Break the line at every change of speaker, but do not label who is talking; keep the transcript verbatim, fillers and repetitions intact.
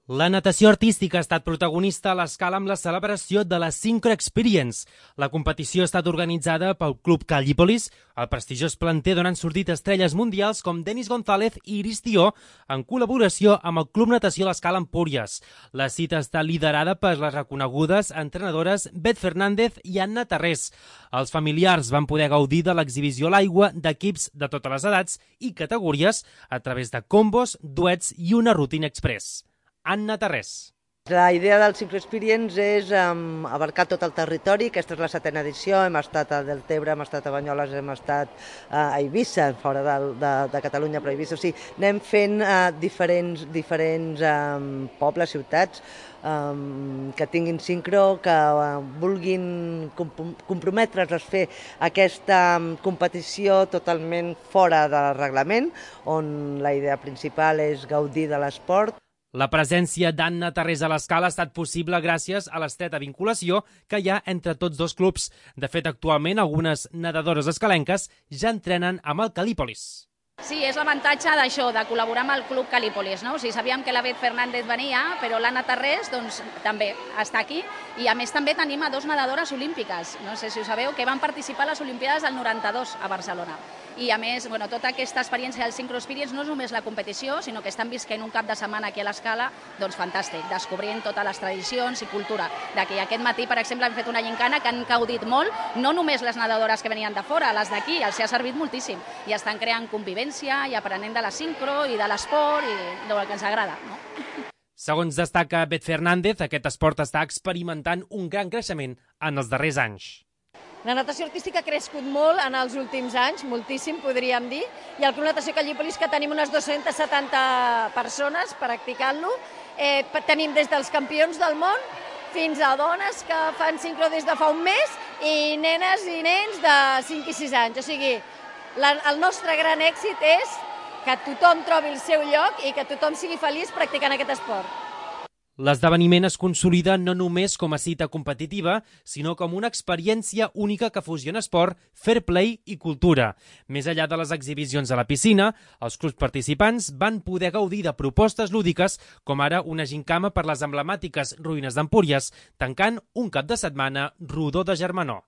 La natació artística ha estat protagonista a l'escala amb la celebració de la Synchro Experience. La competició ha estat organitzada pel Club Calípolis, el prestigiós planter d'on han sortit estrelles mundials com Denis González i Iris Tió, en col·laboració amb el Club Natació L'Escala Empúries. La cita està liderada per les reconegudes entrenadores Beth Fernández i Anna Tarrés. Els familiars van poder gaudir de l'exhibició a l'aigua d'equips de totes les edats i categories a través de combos, duets i una rutina express. Anna Tarrés.
La idea del Synchro Experience és um, abarcar tot el territori. Aquesta és la setena edició, hem estat a Deltebre, hem estat a Banyoles, hem estat uh, a Eivissa, fora de, de, de Catalunya, però a Eivissa. O sigui, anem fent uh, diferents, diferents um, pobles, ciutats, um, que tinguin sincro, que uh, vulguin comp comprometre's a fer aquesta um, competició totalment fora del reglament, on la idea principal és gaudir de l'esport.
La presència d'Anna Tarrés a l'escala ha estat possible gràcies a l'estreta vinculació que hi ha entre tots dos clubs. De fet, actualment, algunes nedadores escalenques ja entrenen amb el Calípolis.
Sí, és l'avantatge d'això, de col·laborar amb el Club Calípolis, no? O sigui, sabíem que la Beth Fernández venia, però l'Anna Tarrés doncs, també està aquí. I a més també tenim a dos nedadores olímpiques, no sé si ho sabeu, que van participar a les Olimpiades del noranta-dos a Barcelona. I a més, bueno, tota aquesta experiència del Synchro Experience no és només la competició, sinó que estan visquent un cap de setmana aquí a l'escala, doncs fantàstic, descobrint totes les tradicions i cultura. D'aquí aquest matí, per exemple, hem fet una gincana que han gaudit molt, no només les nedadores que venien de fora, les d'aquí, els ha servit moltíssim. I estan creant convivència i aprenent de la sincro i de l'esport i del que ens agrada, no?
Segons destaca Beth Fernández, aquest esport està experimentant un gran creixement en els darrers anys.
La natació artística ha crescut molt en els últims anys, moltíssim, podríem dir, i el Club Natació Calípolis, que tenim unes dues-centes setanta persones practicant-lo. Eh, tenim des dels campions del món fins a dones que fan sincro des de fa un mes i nenes i nens de cinc i sis anys. O sigui, la, el nostre gran èxit és que tothom trobi el seu lloc i que tothom sigui feliç practicant aquest esport.
L'esdeveniment es consolida no només com a cita competitiva, sinó com una experiència única que fusiona esport, fair play i cultura. Més enllà de les exhibicions a la piscina, els clubs participants van poder gaudir de propostes lúdiques, com ara una gincama per les emblemàtiques ruïnes d'Empúries, tancant un cap de setmana rodó de germanor.